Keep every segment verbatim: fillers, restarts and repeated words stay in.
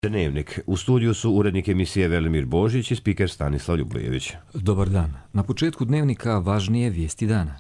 Dnevnik. U studiju su urednik emisije Velimir Božić i spiker Stanislav Ljubojević. Dobar dan. Na početku Dnevnika važnije vijesti dana.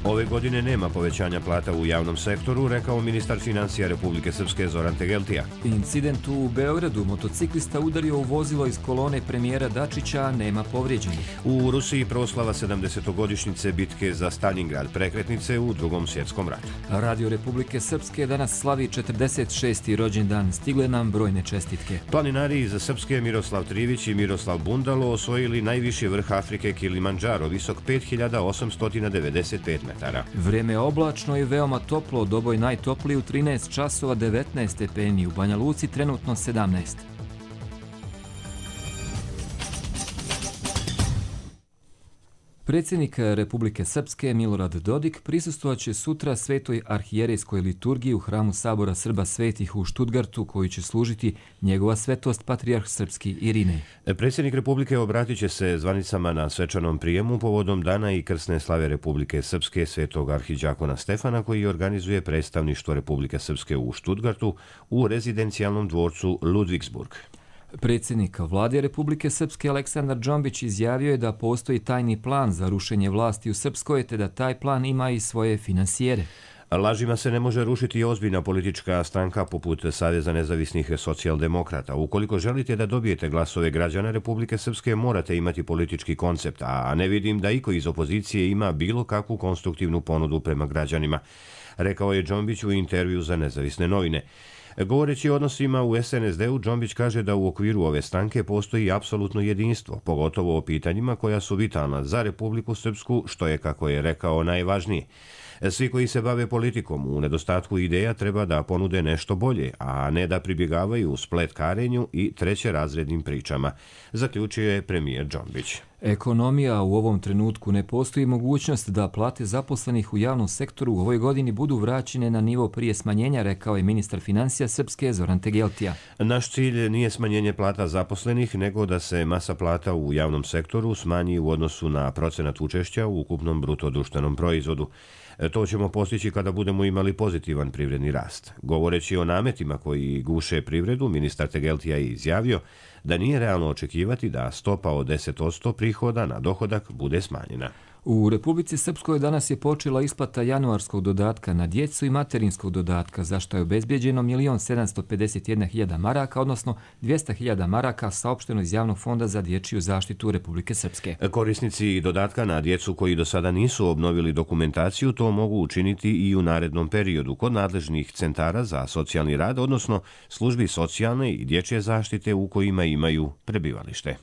Ove godine nema povećanja plata u javnom sektoru, rekao ministar financija Republike Srpske Zoran Tegeltija. Incident u Beogradu. Motociklista udario u vozilo iz kolone premijera Dačića, nema povrijeđenih. U Rusiji proslava sedamdesetogodišnjice bitke za Stalingrad, prekretnice u Drugom svjetskom ratu. Radio Republike Srpske danas slavi četrdeset šesti rođendan. Stigle nam brojne čestitke. Planinari iz Srpske Miroslav Trivić i Miroslav Bundalo osvojili najviši vrh Afrike Kilimandžaro, visok pet hiljada osamsto devedeset pet metara. Vreme je oblačno i veoma toplo, Doboj najtopliji u trinaest časova devetnaest stepeni, u Banja Luci trenutno sedamnaest. Predsjednik Republike Srpske Milorad Dodik prisustvovaće sutra svetoj arhijerejskoj liturgiji u hramu Sabora Srba svetih u Štutgartu, koji će služiti njegova svetost patrijarh srpski Irinej. Predsjednik Republike obratit će se zvanicama na svečanom prijemu povodom dana i krsne slave Republike Srpske svetog arhidjakona Stefana, koji organizuje predstavništvo Republike Srpske u Štutgartu u rezidencijalnom dvorcu Ludvigsburg. Predsjednik vlade Republike Srpske Aleksandar Džombić izjavio je da postoji tajni plan za rušenje vlasti u Srpskoj, te da taj plan ima i svoje finansijere. Lažima se ne može rušiti ozbiljna politička stranka poput Saveza nezavisnih socijaldemokrata. Ukoliko želite da dobijete glasove građana Republike Srpske, morate imati politički koncept, a ne vidim da iko iz opozicije ima bilo kakvu konstruktivnu ponudu prema građanima, rekao je Džombić u intervju za Nezavisne novine. Govoreći o odnosima u es en es de u, Džombić kaže da u okviru ove stranke postoji apsolutno jedinstvo, pogotovo o pitanjima koja su vitalna za Republiku Srpsku, što je, kako je rekao, najvažnije. Svi koji se bave politikom u nedostatku ideja treba da ponude nešto bolje, a ne da pribjegavaju spletkarenju i trećerazrednim pričama, zaključio je premijer Džombić. Ekonomija u ovom trenutku ne postoji mogućnost da plate zaposlenih u javnom sektoru u ovoj godini budu vraćene na nivo prije smanjenja, rekao je ministar financija Srpske Zoran Tegeltija. Naš cilj nije smanjenje plata zaposlenih, nego da se masa plata u javnom sektoru smanji u odnosu na procenat učešća u ukupnom bruto društvenom proizvodu. To ćemo postići kada budemo imali pozitivan privredni rast. Govoreći o nametima koji guše privredu, ministar Tegeltija je izjavio da nije realno očekivati da stopa od deset posto prihoda na dohodak bude smanjena. U Republici Srpskoj danas je počela isplata januarskog dodatka na djecu i materinskog dodatka, za što je obezbijeđeno milion sedamsto pedeset jedna hiljada maraka, odnosno dvjesto hiljada maraka, saopšteno iz Javnog fonda za dječju zaštitu Republike Srpske. Korisnici dodatka na djecu koji do sada nisu obnovili dokumentaciju to mogu učiniti i u narednom periodu kod nadležnih centara za socijalni rad, odnosno službi socijalne i dječje zaštite u kojima imaju prebivalište.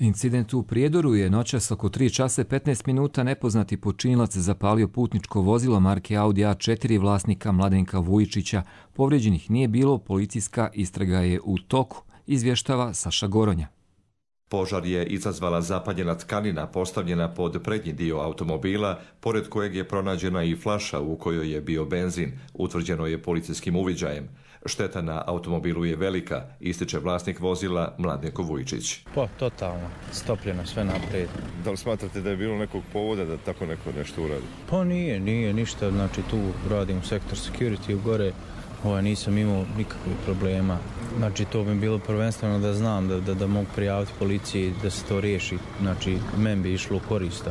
Incident u Prijedoru je noćas oko tri časa petnaest minuta nepoznati počinilac zapalio putničko vozilo marke Audi A četiri vlasnika Mladenka Vujičića. Povrijeđenih nije bilo, policijska istraga je u toku, izvještava Saša Goronja. Požar je izazvala zapaljena tkanina postavljena pod prednji dio automobila, pored kojeg je pronađena i flaša u kojoj je bio benzin, utvrđeno je policijskim uviđajem. Šteta na automobilu je velika, ističe vlasnik vozila Mladenko Vujičić. Pa, totalno, stopljeno sve naprijed. Da li smatrate da je bilo nekog povoda da tako neko nešto uradi? Pa nije, nije ništa, znači tu radim u sektor security u gore, ovaj, nisam imao nikakvih problema. Znači to bi bilo prvenstveno da znam da, da, da mogu prijaviti policiji da se to riješi, znači men bi išlo u korist,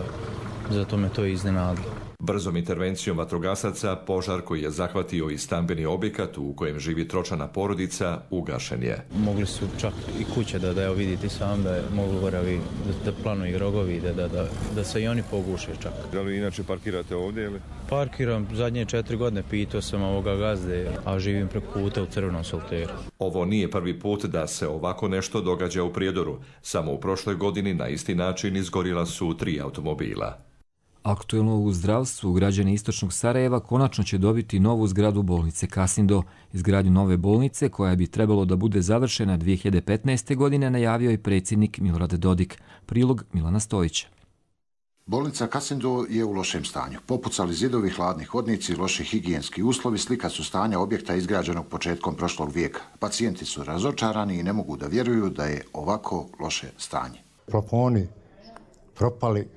zato me to iznenadilo. Brzom intervencijom vatrogasaca požar koji je zahvatio i stambeni objekat u kojem živi tročlana porodica ugašen je. Mogli su čak i kuće da, da evo vidite sam da je mogli goravi, da, da planuju rogovi, da, da, da, da se i oni poguše čak. Da li inače parkirate ovdje ili? Parkiram zadnje četiri godine, pitao sam ovoga gazde, a živim preko puta u Crvenom solteru. Ovo nije prvi put da se ovako nešto događa u Prijedoru. Samo u prošloj godini na isti način izgorila su tri automobila. Aktuelno u zdravstvu, građani istočnog Sarajeva konačno će dobiti novu zgradu bolnice Kasindo. Izgradnju nove bolnice, koja bi trebalo da bude završena dvije hiljade petnaeste. godine, najavio je predsjednik Milorad Dodik. Prilog Milana Stojića. Bolnica Kasindo je u lošem stanju. Popucali zidovi, hladni hodnici, loši higijenski uslovi slika su stanja objekta izgrađenog početkom prošlog vijeka. Pacijenti su razočarani i ne mogu da vjeruju da je ovako loše stanje. Plafoni propali,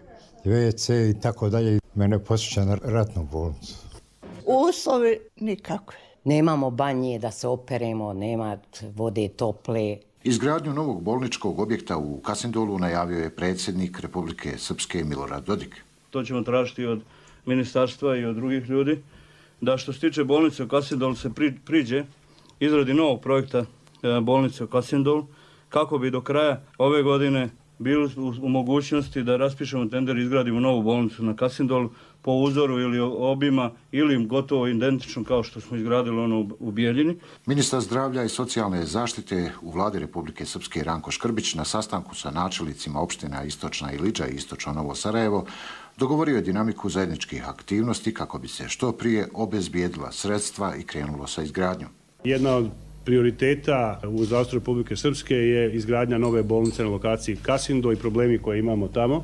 ve ce i tako dalje. Mene posjeća na ratnu bolnicu. Uslovi nikakve. Nemamo banje da se operemo, nema vode tople. Izgradnju novog bolničkog objekta u Kasindolu najavio je predsjednik Republike Srpske Milorad Dodik. To ćemo tražiti od ministarstva i od drugih ljudi, da što se tiče bolnice u Kasindolu se pri, priđe izradi novog projekta bolnice u Kasindolu, kako bi do kraja ove godine bili u mogućnosti da raspišemo tender i izgradimo novu bolnicu na Kasindolu po uzoru ili obima ili gotovo identično kao što smo izgradili ono u Bijeljini. Ministar zdravlja i socijalne zaštite u vladi Republike Srpske Ranko Škrbić na sastanku sa načelnicima opština Istočna Ilidža i Istočno Novo Sarajevo dogovorio je dinamiku zajedničkih aktivnosti kako bi se što prije obezbijedila sredstva i krenulo sa izgradnjom. Jedna od prioriteta u zdravstvu Republike Srpske je izgradnja nove bolnice na lokaciji Kasindo i problemi koje imamo tamo.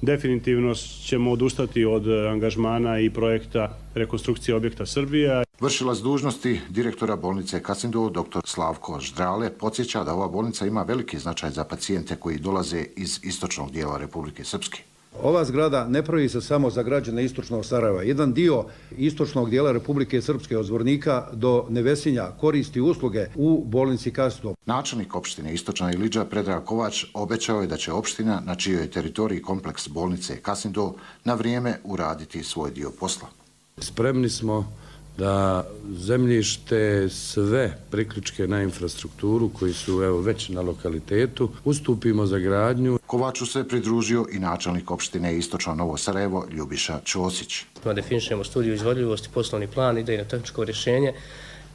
Definitivno ćemo odustati od angažmana i projekta rekonstrukcije objekta Srbija. Vršilac dužnosti direktora bolnice Kasindo, dr. Slavko Ždrale, podsjeća da ova bolnica ima veliki značaj za pacijente koji dolaze iz istočnog dijela Republike Srpske. Ova zgrada ne pravi se samo za građane istočnog Sarajeva. Jedan dio istočnog dijela Republike Srpske od Zvornika do Nevesinja koristi usluge u bolnici Kasindo. Načelnik opštine Istočna Ilidža Predrag Kovač obećao je da će opština na čijoj teritoriji kompleks bolnice Kasindo na vrijeme uraditi svoj dio posla. Spremni smo da zemljište, sve priključke na infrastrukturu koji su evo već na lokalitetu ustupimo za gradnju. Kovaču se pridružio i načelnik opštine Istočno Novo Sarajevo Ljubiša Ćosić. Definišemo studiju izvodljivosti, poslovni plan, idejno tehničko rješenje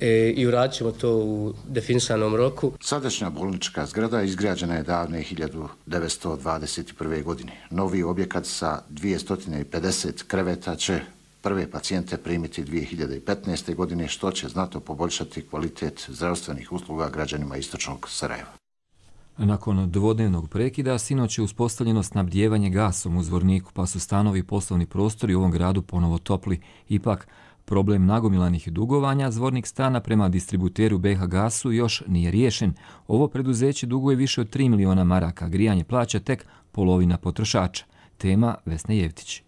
e, i uradit ćemo to u definisanom roku. Sadašnja bolnička zgrada izgrađena je davne hiljadu devetsto dvadeset prve. godine. Novi objekat sa dvjesto pedeset kreveta će prve pacijente primiti dvije hiljade petnaeste. godine, što će znatno poboljšati kvalitet zdravstvenih usluga građanima Istočnog Sarajeva. Nakon dvodnevnog prekida, sinoć je uspostavljeno snabdijevanje gasom u Zvorniku, pa su stanovi i poslovni prostori u ovom gradu ponovo topli. Ipak, problem nagomilanih dugovanja Zvornik stana prema distributeru B H Gasu još nije riješen. Ovo preduzeće duguje više od tri miliona maraka, grijanje plaća tek polovina potrošača. Tema Vesna Jevtić.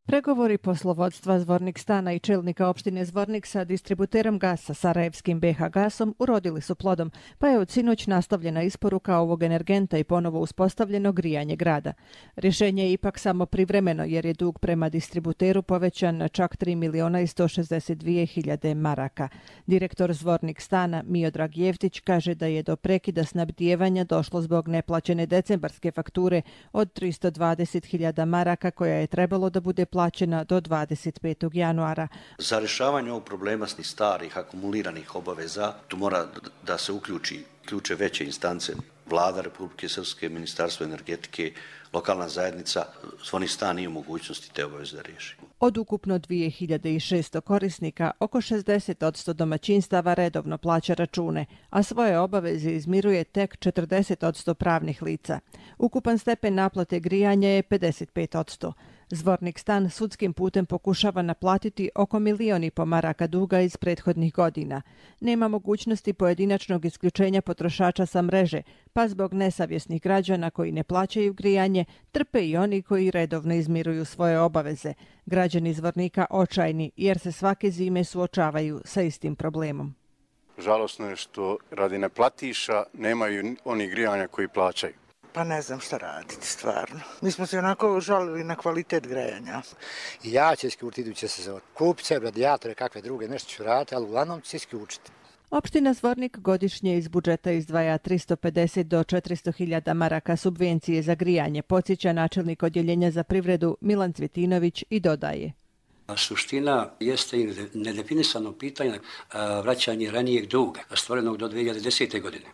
Pregovori poslovodstva Zvornik stana i čelnika opštine Zvornik sa distributerom gasa sarajevskim B H Gasom urodili su plodom, pa je od sinoć nastavljena isporuka ovog energenta i ponovo uspostavljeno grijanje grada. Rješenje je ipak samo privremeno jer je dug prema distributeru povećan na čak tri miliona i sto šezdeset dvije hiljade maraka. Direktor Zvornik stana Miodrag Jevtić kaže da je do prekida snabdijevanja došlo zbog neplaćene decembarske fakture od tristo dvadeset hiljada maraka koja je trebalo da bude plaćena do dvadeset petog januara. Za rješavanje ovog problema s starih akumuliranih obaveza tu mora da se uključi ključe veće instance, vlada Republike Srpske, Ministarstvo energetike, lokalna zajednica. Zvornik stan nije u mogućnosti te obaveze da riješi. Od ukupno dvije hiljade šesto korisnika, oko šezdeset posto domaćinstava redovno plaća račune, a svoje obaveze izmiruje tek četrdeset posto pravnih lica. Ukupan stepen naplate grijanja je pedeset pet posto. Zvornik stan sudskim putem pokušava naplatiti oko milion i po maraka duga iz prethodnih godina. Nema mogućnosti pojedinačnog isključenja potrošača sa mreže, pa zbog nesavjesnih građana koji ne plaćaju grijanje, trpe i oni koji redovno izmiruju svoje obaveze. Građani Zvornika očajni jer se svake zime suočavaju sa istim problemom. Žalosno je što radi neplatiša nemaju oni grijanja koji plaćaju. Pa ne znam šta raditi, stvarno. Mi smo se onako žalili na kvalitet grejanja. I ja ću isključiti iduće sezone. Kupit će radijatore, kakve druge, nešto ću raditi, ali uglavnom ću isključiti. Opština Zvornik godišnje iz budžeta izdvaja tristo pedeset do četiristo hiljada maraka subvencije za grijanje, podsjeća načelnik odjeljenja za privredu Milan Cvjetinović i dodaje. Suština jeste i nedefinisano pitanje vraćanje ranijeg duga, stvorenog do dvije hiljade desete. godine.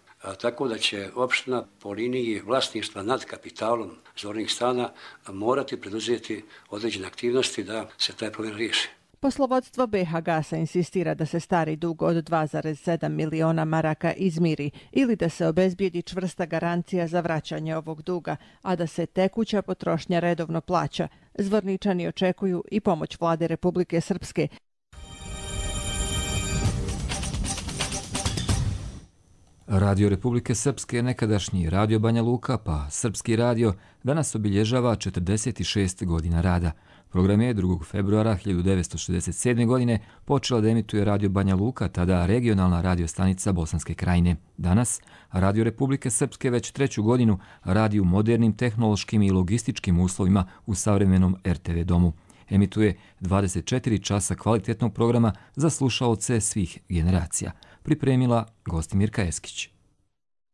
Tako da će opština po liniji vlasništva nad kapitalom Zvornik stana morati preduzeti određene aktivnosti da se taj problem riješi. Poslovodstvo B H Gasa insistira da se stari dug od dva zarez sedam miliona maraka izmiri ili da se obezbijedi čvrsta garancija za vraćanje ovog duga, a da se tekuća potrošnja redovno plaća. Zvorničani očekuju i pomoć vlade Republike Srpske. Radio Republike Srpske, nekadašnji Radio Banja Luka, pa Srpski radio, danas obilježava četrdeset šest godina rada. Program je drugog februara hiljadu devetsto šezdeset sedme. godine počela da emituje Radio Banja Luka, tada regionalna radio stanica Bosanske Krajine. Danas Radio Republike Srpske već treću godinu radi u modernim tehnološkim i logističkim uslovima u savremenom er te ve domu. Emituje dvadeset četiri časa kvalitetnog programa za slušaoce svih generacija. Pripremila Gostimirka Eskić.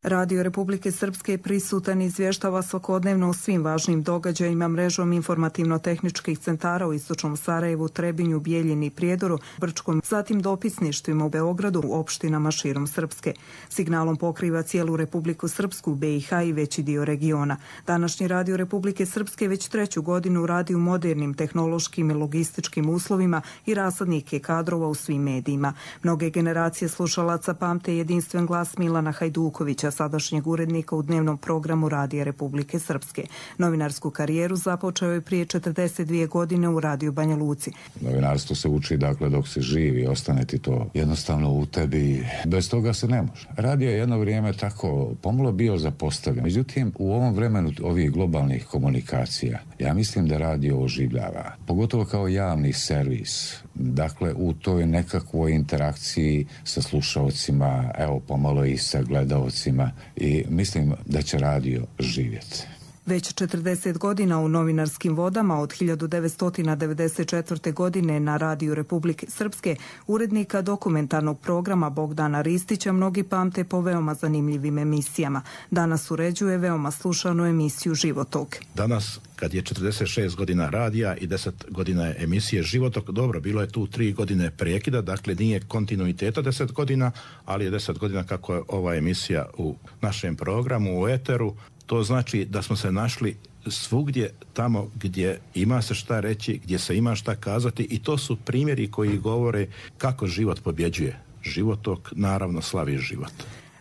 Radio Republike Srpske je prisutan i izvještava svakodnevno o svim važnim događajima mrežom informativno-tehničkih centara u Istočnom Sarajevu, Trebinju, Bijeljini i Prijedoru, Brčkom, zatim dopisništvima u Beogradu, u opštinama širom Srpske. Signalom pokriva cijelu Republiku Srpsku, be i ha i veći dio regiona. Današnji Radio Republike Srpske već treću godinu radi u modernim tehnološkim i logističkim uslovima i rasadnike kadrova u svim medijima. Mnoge generacije slušalaca pamte jedinstven glas Milana Hajdukovića, sadašnjeg urednika u dnevnom programu Radija Republike Srpske. Novinarsku karijeru započeo je prije četrdeset dvije godine u Radiju Banja Luci. Novinarstvo se uči, dakle, dok se živi, ostane ti to jednostavno u tebi. Bez toga se ne može. Radio je jedno vrijeme tako pomalo bio zapostavljen. Međutim, u ovom vremenu ovih globalnih komunikacija, ja mislim da radio oživljava. Pogotovo kao javni servis. Dakle, u toj nekakvoj interakciji sa slušaocima, evo pomalo i sa gledaocima, i mislim da će radio živjeti. Već četrdeset godina u novinarskim vodama, od hiljadu devetsto devedeset četvrte. godine na Radiju Republike Srpske, urednika dokumentarnog programa Bogdana Ristića mnogi pamte po veoma zanimljivim emisijama. Danas uređuje veoma slušanu emisiju Životok. Danas, kad je četrdeset šest godina radija i deset godina emisije Životok, dobro, bilo je tu tri godine prekida, dakle nije kontinuiteta deset godina, ali je deset godina kako je ova emisija u našem programu, u eteru. To znači da smo se našli svugdje tamo gdje ima se šta reći, gdje se ima šta kazati, i to su primjeri koji govore kako život pobjeđuje. Životok naravno slavi život.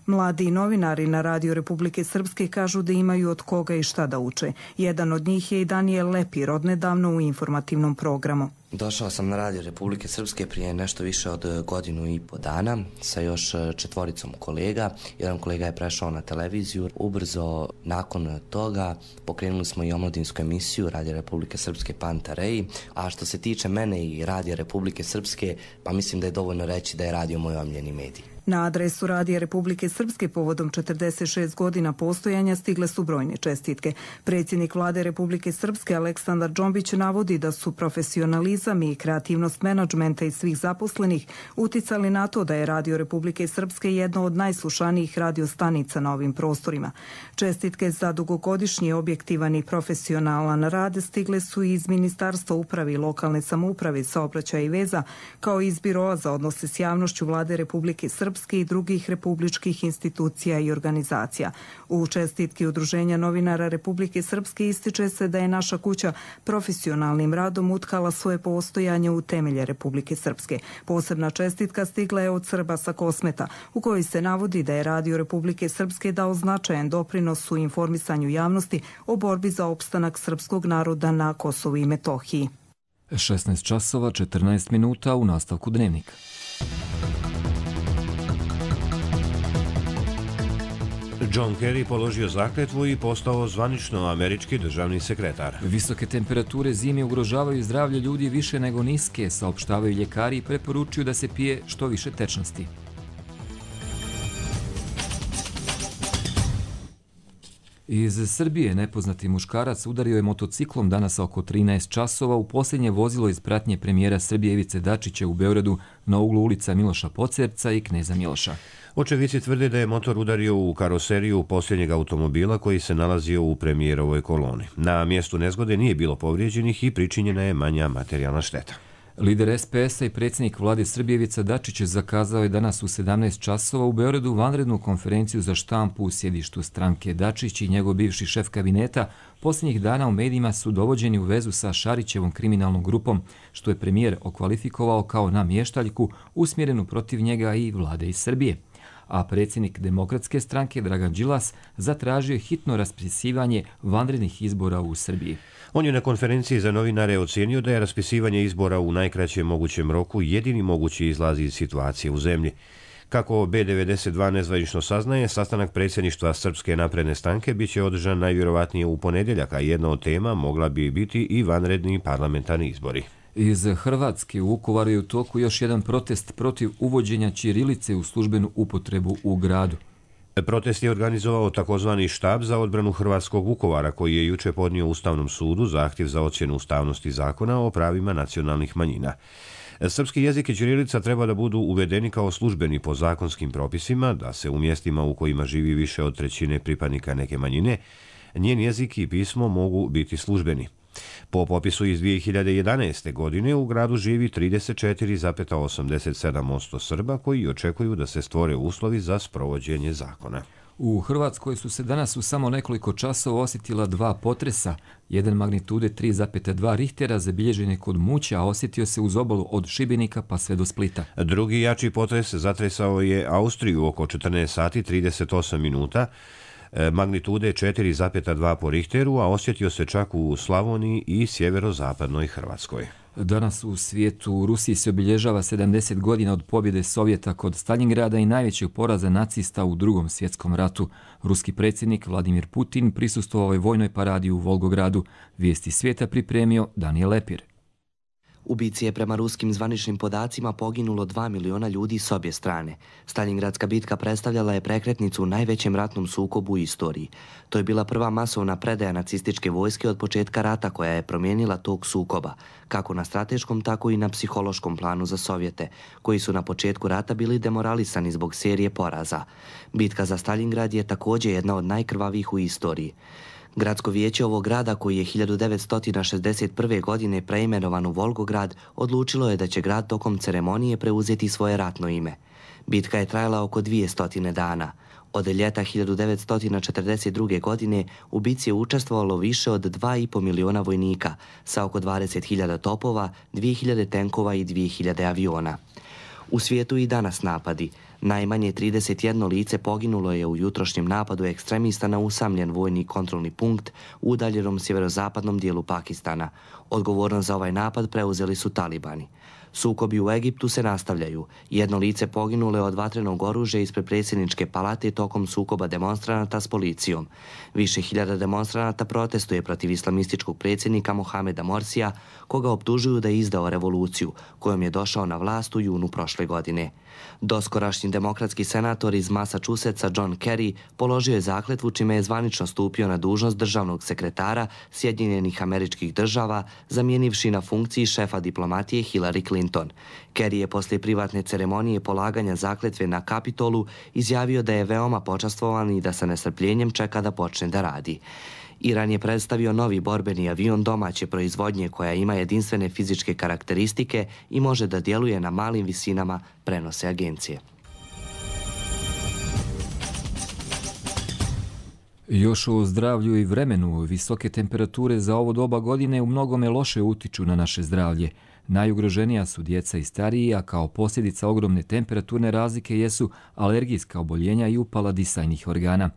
Mladi novinari na Radio Republike Srpske kažu da imaju od koga i šta da uče. Jedan od njih je i Danijel Lepir, odnedavno u informativnom programu. Došao sam na Radio Republike Srpske prije nešto više od godinu i po dana sa još četvoricom kolega. Jedan kolega je prešao na televiziju. Ubrzo nakon toga pokrenuli smo i omladinsku emisiju Radio Republike Srpske Pantareji. A što se tiče mene i Radio Republike Srpske, pa mislim da je dovoljno reći da je radio moj omiljeni medij. Na adresu Radija Republike Srpske povodom četrdeset šest godina postojanja stigle su brojne čestitke. Predsjednik Vlade Republike Srpske Aleksandar Džombić navodi da su profesionalizam i kreativnost menadžmenta i svih zaposlenih uticali na to da je Radio Republike Srpske jedno od najslušanijih radiostanica na ovim prostorima. Čestitke za dugogodišnji objektivan i profesionalan rad stigle su i iz Ministarstva uprave i lokalne samouprave, saobraćaja i veza, kao i iz Biroa za odnose s javnošću Vlade Republike Srpske i drugih republičkih institucija i organizacija. U čestitki Udruženja novinara Republike Srpske ističe se da je naša kuća profesionalnim radom utkala svoje postojanje u temelje Republike Srpske. Posebna čestitka stigla je od Srba sa Kosmeta, u kojoj se navodi da je Radio Republike Srpske dao značajan doprinos u informisanju javnosti o borbi za opstanak srpskog naroda na Kosovu i Metohiji. šesnaest časova četrnaest minuta u nastavku Dnevnika. John Kerry položio zakletvu i postao zvanično američki državni sekretar. Visoke temperature zime ugrožavaju zdravlje ljudi više nego niske, saopštavaju ljekari i preporučuju da se pije što više tečnosti. Iz Srbije nepoznati muškarac udario je motociklom danas oko trinaest časova u posljednje vozilo iz pratnje premijera Srbije Ivice Dačića u Beogradu na uglu ulica Miloša Pocerca i Kneza Miloša. Očevici tvrde da je motor udario u karoseriju posljednjeg automobila koji se nalazio u premijerovoj koloni. Na mjestu nezgode nije bilo povrijeđenih i pričinjena je manja materijalna šteta. Lider es pe es-a i predsjednik vlade Srbije Ivica Dačić zakazao je danas u sedamnaest časova u Beogradu vanrednu konferenciju za štampu u sjedištu stranke. Dačić i njegov bivši šef kabineta posljednjih dana u medijima su dovođeni u vezu sa Šarićevom kriminalnom grupom, što je premijer okvalifikovao kao namještaljku usmjerenu protiv njega i vlade iz Srbije. A predsjednik Demokratske stranke Dragan Đilas zatražio hitno raspisivanje vanrednih izbora u Srbiji. On je na konferenciji za novinare ocijenio da je raspisivanje izbora u najkraćem mogućem roku jedini mogući izlaz iz situacije u zemlji. Kako B devedeset dva nezvanično saznaje, sastanak predsjedništva Srpske napredne stranke biće održan najvjerovatnije u ponedjeljak, a jedna od tema mogla bi biti i vanredni parlamentarni izbori. Iz Hrvatske u Vukovaru je u toku još jedan protest protiv uvođenja ćirilice u službenu upotrebu u gradu. Protest je organizovao takozvani štab za odbranu Hrvatskog Vukovara, koji je juče podnio Ustavnom sudu zahtjev za ocjenu ustavnosti zakona o pravima nacionalnih manjina. Srpski jezik i ćirilica treba da budu uvedeni kao službeni po zakonskim propisima, da se u mjestima u kojima živi više od trećine pripadnika neke manjine, njen jezik i pismo mogu biti službeni. Po popisu iz dvije hiljade jedanaeste. godine u gradu živi trideset četiri zarez osamdeset sedam posto Srba koji očekuju da se stvore uslovi za sprovođenje zakona. U Hrvatskoj su se danas u samo nekoliko časova osjetila dva potresa. Jedan magnitude tri zarez dva Richtera zabilježen je kod Muća, a osjetio se uz obalu od Šibenika pa sve do Splita. Drugi jači potres zatresao je Austriju oko četrnaest sati trideset osam minuta, magnitude četiri zarez dva po Richteru, a osjetio se čak u Slavoniji i sjeverozapadnoj Hrvatskoj. Danas u svijetu u Rusiji se obilježava sedamdeset godina od pobjede Sovjeta kod Staljingrada i najvećeg poraza nacista u Drugom svjetskom ratu. Ruski predsjednik Vladimir Putin prisustvovao je vojnoj paradi u Volgogradu. Vijesti svijeta pripremio Daniel Lepir. U bici je prema ruskim zvaničnim podacima poginulo dva miliona ljudi s obje strane. Staljingradska bitka predstavljala je prekretnicu u najvećem ratnom sukobu u istoriji. To je bila prva masovna predaja nacističke vojske od početka rata koja je promijenila tog sukoba, kako na strateškom, tako i na psihološkom planu za Sovjete, koji su na početku rata bili demoralisani zbog serije poraza. Bitka za Staljingrad je također jedna od najkrvavijih u istoriji. Gradsko vijeće ovog grada, koji je hiljadu devetsto šezdeset prve. godine preimenovan u Volgograd, odlučilo je da će grad tokom ceremonije preuzeti svoje ratno ime. Bitka je trajala oko dvjesto dana. Od ljeta hiljadu devetsto četrdeset druge. godine u bici je učestvovalo više od dva i po miliona vojnika sa oko dvadeset hiljada topova, dvije hiljade tenkova i dvije hiljade aviona. U svijetu i danas napadi. Najmanje trideset jedno lice poginulo je u jutrošnjem napadu ekstremista na usamljen vojni kontrolni punkt u udaljenom sjeverozapadnom dijelu Pakistana. Odgovornost za ovaj napad preuzeli su talibani. Sukobi u Egiptu se nastavljaju. Jedno lice poginulo je od vatrenog oružja ispred predsjedničke palate tokom sukoba demonstranata s policijom. Više hiljada demonstranata protestuje protiv islamističkog predsjednika Mohameda Morsija, koga optužuju da je izdao revoluciju, kojom je došao na vlast u junu prošle godine. Doskorašnji demokratski senator iz Massachusettsa John Kerry položio je zakletvu čime je zvanično stupio na dužnost državnog sekretara Sjedinjenih Američkih Država, zamijenivši na funkciji šefa diplomatije Hillary Clinton. Kerry je poslije privatne ceremonije polaganja zakletve na Kapitolu izjavio da je veoma počastvovan i da sa nestrpljenjem čeka da počne da radi. Iran je predstavio novi borbeni avion domaće proizvodnje koja ima jedinstvene fizičke karakteristike i može da djeluje na malim visinama, prenose agencije. Još o zdravlju i vremenu. Visoke temperature za ovo doba godine u mnogome loše utiču na naše zdravlje. Najugroženija su djeca i stariji, a kao posljedica ogromne temperaturne razlike jesu alergijska oboljenja i upala disajnih organa.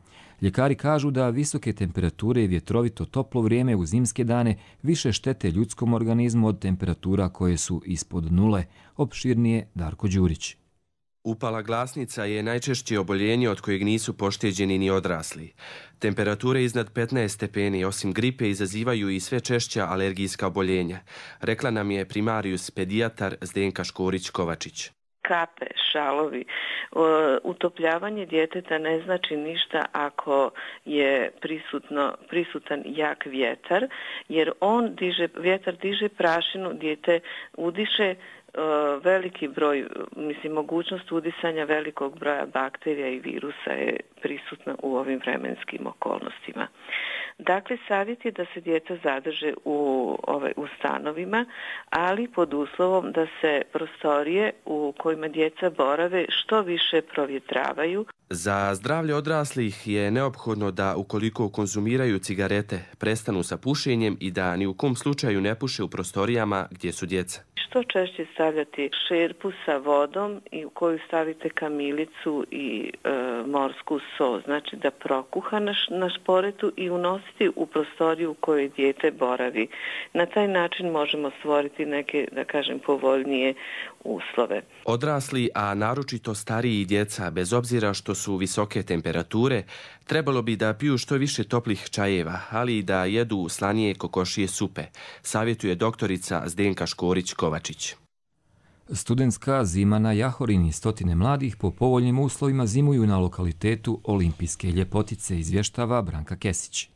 Ljekari kažu da visoke temperature i vjetrovito toplo vrijeme u zimske dane više štete ljudskom organizmu od temperatura koje su ispod nule. Opširnije Darko Đurić. Upala glasnica je najčešće oboljenje od kojeg nisu pošteđeni ni odrasli. Temperature iznad petnaest stepeni osim gripe izazivaju i sve češća alergijska oboljenja, rekla nam je primarius pedijatar Zdenka Škorić-Kovačić. Kape, šalovi, utopljavanje djeteta ne znači ništa ako je prisutno, prisutan jak vjetar, jer on diže, vjetar diže prašinu, dijete udiše veliki broj, mislim, mogućnost udisanja velikog broja bakterija i virusa je prisutna u ovim vremenskim okolnostima. Dakle, savjet je da se djeca zadrže u, ovaj, u stanovima, ali pod uslovom da se prostorije u kojima djeca borave što više provjetravaju. Za zdravlje odraslih je neophodno da ukoliko konzumiraju cigarete, prestanu sa pušenjem i da ni u kom slučaju ne puše u prostorijama gdje su djeca. što češće stavljati šerpu sa vodom i u koju stavite kamilicu i e, morsku so, znači da prokuha na, na šporetu i unositi u prostoriju u kojoj dijete boravi. Na taj način možemo stvoriti neke, da kažem, povoljnije uslove. Odrasli, a naročito stariji i djeca, bez obzira što su visoke temperature, trebalo bi da piju što više toplih čajeva, ali i da jedu slanije kokošije supe, savjetuje doktorica Zdenka Škorić-Kovačić. Studentska zima na Jahorini, stotine mladih po povoljnim uslovima zimuju na lokalitetu Olimpijske ljepotice, izvještava Branka Kesić.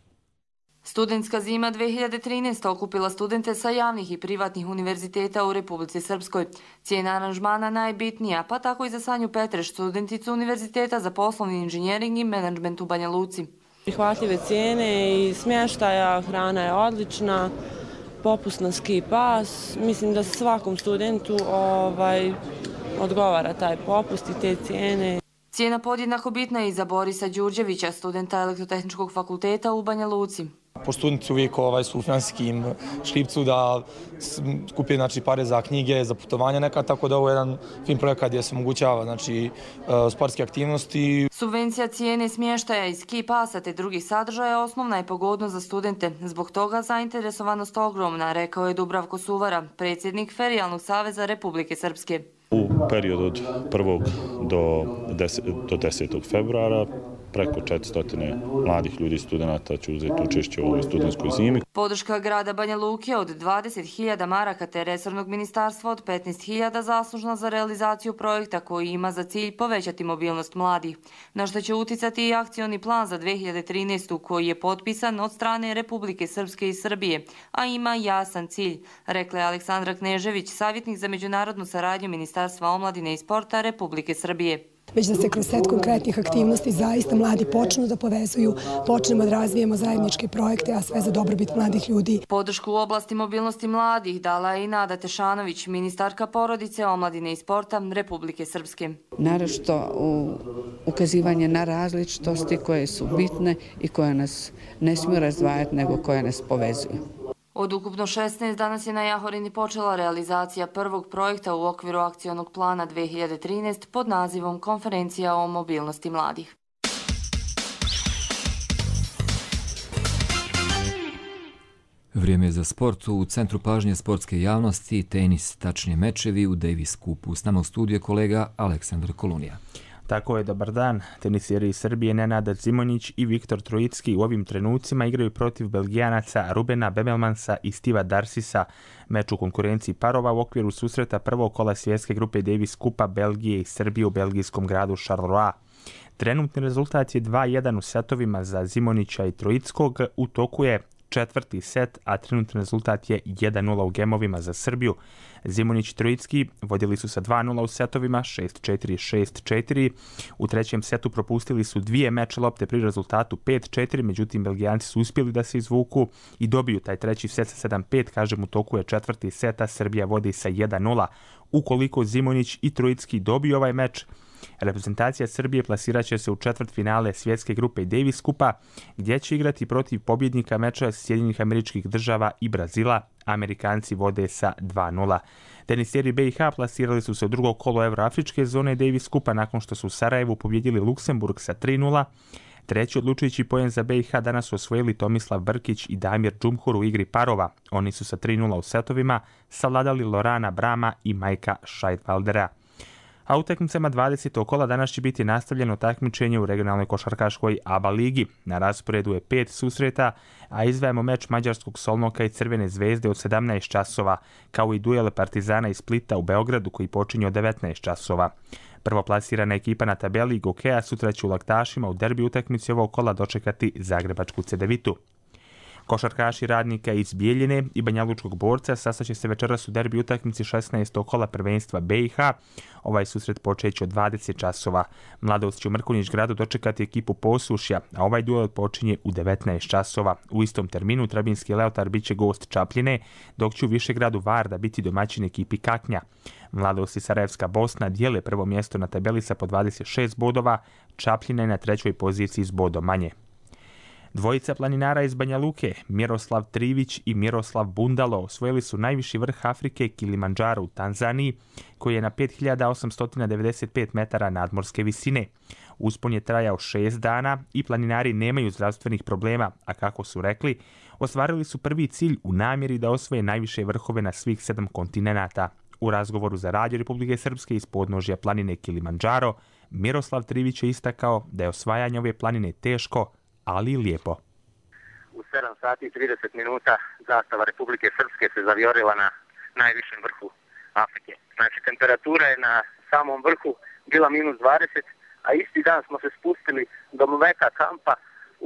Studentska zima dve hiljade trinaeste. okupila studente sa javnih i privatnih univerziteta u Republici Srpskoj. Cijena aranžmana najbitnija, pa tako i za Sanju Petreš, studenticu Univerziteta za poslovni inženjering i menadžment u Banja Luci. Prihvatljive cijene i smještaja, hrana je odlična, popust na ski pas. Mislim da svakom studentu ovaj, odgovara taj popust i te cijene. Cijena podjednako bitna je i za Borisa Đurđevića, studenta Elektrotehničkog fakulteta u Banja Luci. Po studenti uvijek ovaj, su u finansijskim škripcu da skupi znači, pare za knjige, za putovanja neka, tako da ovo je jedan fin projekat gdje se omogućava znači, sportske aktivnosti. Subvencija cijene smještaja i ski pasa te drugih sadržaja osnovna je pogodnost za studente. Zbog toga zainteresovanost ogromna, rekao je Dubravko Suvara, predsjednik Ferijalnog saveza Republike Srpske. U periodu od prvog do desetog februara preko četiristo mladih ljudi i studenta će uzeti učešće u ovoj studentskoj zimi. Podrška grada Banja Luke od dvadeset hiljada maraka te resornog ministarstva od petnaest hiljada zaslužna za realizaciju projekta koji ima za cilj povećati mobilnost mladih, na što će uticati i akcioni plan za dve hiljade trinaestu. koji je potpisan od strane Republike Srpske i Srbije, a ima jasan cilj, rekla je Aleksandra Knežević, savjetnik za međunarodnu saradnju Ministarstva omladine i sporta Republike Srbije. Već da se kroz set konkretnih aktivnosti zaista mladi počnu da povezuju, počnemo da razvijemo zajedničke projekte, a sve za dobrobit mladih ljudi. Podršku u oblasti mobilnosti mladih dala je i Nada Tešanović, ministarka porodice, omladine i sporta Republike Srpske. Naročito ukazivanje na različitosti koje su bitne i koje nas ne smiju razdvajati, nego koje nas povezuju. Od ukupno šesnaest danas je na Jahorini počela realizacija prvog projekta u okviru akcionog plana dve hiljade trinaeste. pod nazivom Konferencija o mobilnosti mladih. Vrijeme je za sport. U centru pažnje sportske javnosti tenis, tačnije mečevi u Davis Cupu. S nama u studiju je kolega Aleksandar Kolunija. Tako je, dobar dan. Teniseri iz Srbije Nenad Zimonjić i Viktor Trojicki u ovim trenucima igraju protiv Belgijanaca Rubena Bemelmansa i Stiva Darsisa. Meč u konkurenciji parova u okviru susreta prvog kola svjetske grupe Davis Kupa Belgije i Srbije u belgijskom gradu Charleroi. Trenutni rezultat je dva jedan u setovima za Zimonjića i Trojickog. U toku je četvrti set, a trenutni rezultat je jedan nula u gemovima za Srbiju. Zimonjić i Trojicki vodili su sa dva nula u setovima, šest četiri, šest četiri. U trećem setu propustili su dvije meč lopte pri rezultatu pet četiri, međutim Belgijanci su uspjeli da se izvuku i dobiju taj treći set sa sedam pet, kažem u toku je četvrti seta, Srbija vodi sa jedan nula. Ukoliko Zimonjić i Trojicki dobiju ovaj meč, reprezentacija Srbije plasirat će se u četvrtfinale svjetske grupe Davis Kupa, gdje će igrati protiv pobjednika meča Sjedinjenih Američkih Država i Brazila. Amerikanci vode sa dva nula. Teniseri B i H plasirali su se u drugo kolo Evroafričke zone Davis Kupa nakon što su u Sarajevu pobjedili Luksemburg sa tri nula. Treći odlučujući poen za B i H danas su osvojili Tomislav Brkić i Damir Džumhur u igri parova. Oni su sa tri nula u setovima savladali Lorana Brama i Majka Scheidwaldera. A utakmicama dvadesetog kola danas će biti nastavljeno takmičenje u regionalnoj košarkaškoj A B A ligi. Na rasporedu je pet susreta, a izdvajamo meč mađarskog Solnoka i Crvene zvezde od sedamnaest časova, kao i duel Partizana i Splita u Beogradu koji počinje od devetnaest časova. Prvoplasirana ekipa na tabeli Gokeja sutra će u Laktašima u derbi utakmici ovog kola dočekati Zagrebačku Cedevitu. Košarkaši Radnika iz Bijeljine i Banjalučkog Borca sastaće se večeras u derbi utakmici šesnaestog kola prvenstva B i H. Ovaj susret počeće od dvadeset časova. Mladost će u Mrkonjić gradu dočekati ekipu Posušja, a ovaj duel počinje u devetnaest časova. U istom terminu Trabinski Leotar biće gost Čapljine, dok će u Višegradu Varda biti domaćin ekipi Kaknja. Mladost i Sarajevska Bosna dijele prvo mjesto na tabeli sa po dvadeset šest bodova, Čapljina je na trećoj poziciji s bodom manje. Dvojica planinara iz Banja Luke, Miroslav Trivić i Miroslav Bundalo, osvojili su najviši vrh Afrike Kilimandžaro u Tanzaniji, koji je na pet hiljada osamsto devedeset pet metara nadmorske visine. Uspon je trajao šest dana i planinari nemaju zdravstvenih problema, a kako su rekli, ostvarili su prvi cilj u namjeri da osvoje najviše vrhove na svih sedam kontinenata. U razgovoru za Radio Republike Srpske iz podnožja planine Kilimandžaro, Miroslav Trivić je istakao da je osvajanje ove planine teško, ali i lijepo. U sedam sati i trideset minuta zastava Republike Srpske se zavijorila na najvišem vrhu Afrike. Znači, temperatura je na samom vrhu bila minus dvadeset, a isti dan smo se spustili do Mleka kampa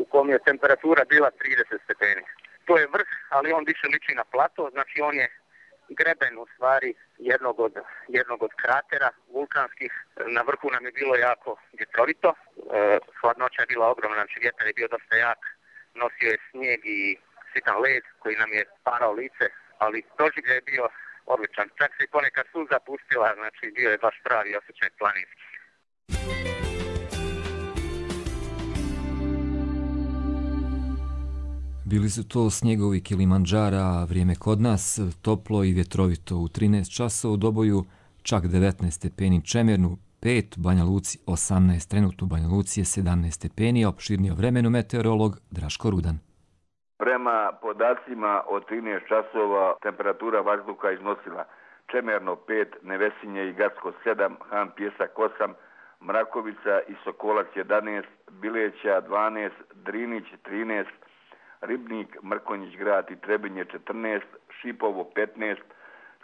u kom je temperatura bila trideset stepeni. To je vrh, ali on više liči na plato, znači on je greben u stvari jednog od, jednog od kratera vulkanskih. Na vrhu nam je bilo jako vjetrovito, e, hladnoća je bila ogromna, znači vjetar je bio dosta jak, nosio je snijeg i sitan led koji nam je parao lice, ali doživljaj je bio odličan. Čak se i ponekad suza pustila, znači bio je baš pravi osjećaj planinski. Bili su to snjegovi Kilimandžara, vrijeme kod nas, toplo i vjetrovito u trinaest časova, u Doboju čak devetnaest stepeni, Čemernu pet, Banja Luci osamnaest, trenutno u Banja Luci je sedamnaest stepeni, opširnije o vremenu meteorolog Draško Rudan. Prema podacima od trinaest časova temperatura vazduha iznosila Čemerno pet, Nevesinje i Gacko sedam, Han Pjesak osam, Mrakovica i Sokolac jedanaest, Bileća dvanaest, Drinić trinaest, Ribnik, Mrkonjić grad i Trebinje četrnaest, Šipovo petnaest,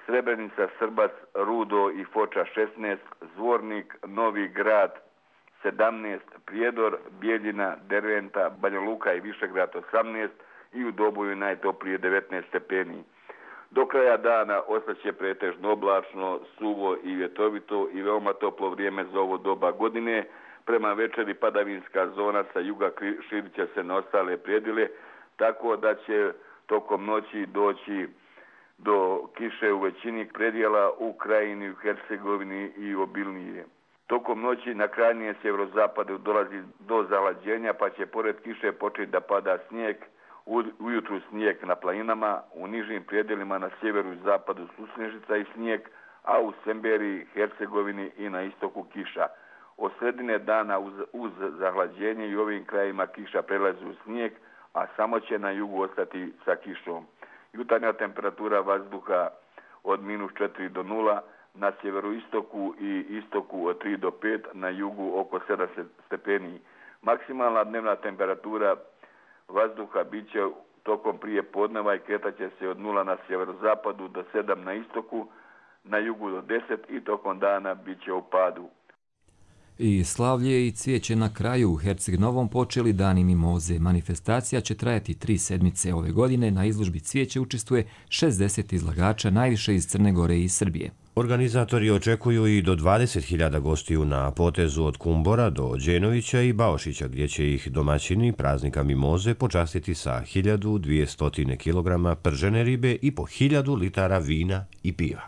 Srebrenica, Srbac, Rudo i Foča šesnaest, Zvornik, Novi grad sedamnaest, Prijedor, Bijeljina, Derventa, Banja Luka i Višegrad osamnaest i u Doboju najtoplije devetnaest stepeni. Do kraja dana ostaće pretežno oblačno, suvo i vjetrovito i veoma toplo vrijeme za ovo doba godine. Prema večeri padavinska zona sa juga širit će se na ostale predjele, tako da će tokom noći doći do kiše u većini predjela u Krajini, u Hercegovini i obilnije. Tokom noći na krajnije sjeverozapadu dolazi do zalađenja, pa će pored kiše početi da pada snijeg, ujutru snijeg na planinama, u nižim predjelima na sjeveru i zapadu su snježica i snijeg, a u Semberiji, Hercegovini i na istoku kiša. Od sredine dana uz, uz zahlađenje i ovim krajima kiša prelazi u snijeg, a samo će na jugu ostati sa kišom. Jutarnja temperatura vazduha od minus četiri do nula, na sjeveroistoku i istoku od tri do pet, na jugu oko sedam stepeni. Maksimalna dnevna temperatura vazduha bit će tokom prije podneva i kretaće se od nula na sjeverozapadu do sedam na istoku, na jugu do deset i tokom dana bit će u padu. I slavlje i cvijeće na kraju. U Herceg Novom počeli dani mimoze. Manifestacija će trajati tri sedmice ove godine. Na izložbi cvijeće učestvuje šezdeset izlagača, najviše iz Crne Gore i Srbije. Organizatori očekuju i do dvadeset hiljada gostiju na potezu od Kumbora do Đenovića i Baošića, gdje će ih domaćini praznika mimoze počastiti sa hiljadu dvjesto kilograma pržene ribe i po hiljadu litara vina i piva.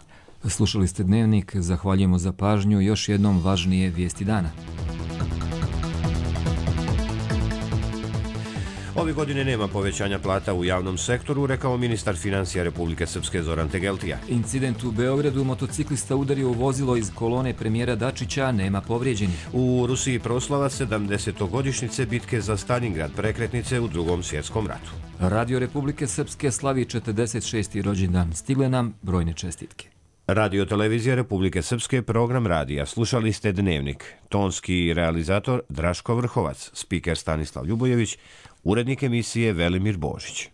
Slušali ste Dnevnik, zahvaljujemo za pažnju, još jednom važnije vijesti dana. Ove godine nema povećanja plata u javnom sektoru, rekao ministar financija Republike Srpske Zoran Tegeltija. Incident u Beogradu, motociklista udario u vozilo iz kolone premijera Dačića, nema povrijeđenih. U Rusiji proslava sedamdesetogodišnjice bitke za Stalingrad, prekretnice u Drugom svjetskom ratu. Radio Republike Srpske slavi četrdeset šesti rođendan, stigle nam brojne čestitke. Radio Televizija Republike Srpske, program radija. Slušali ste Dnevnik. Tonski realizator Draško Vrhovac, spiker Stanislav Ljubojević, urednik emisije Velimir Božić.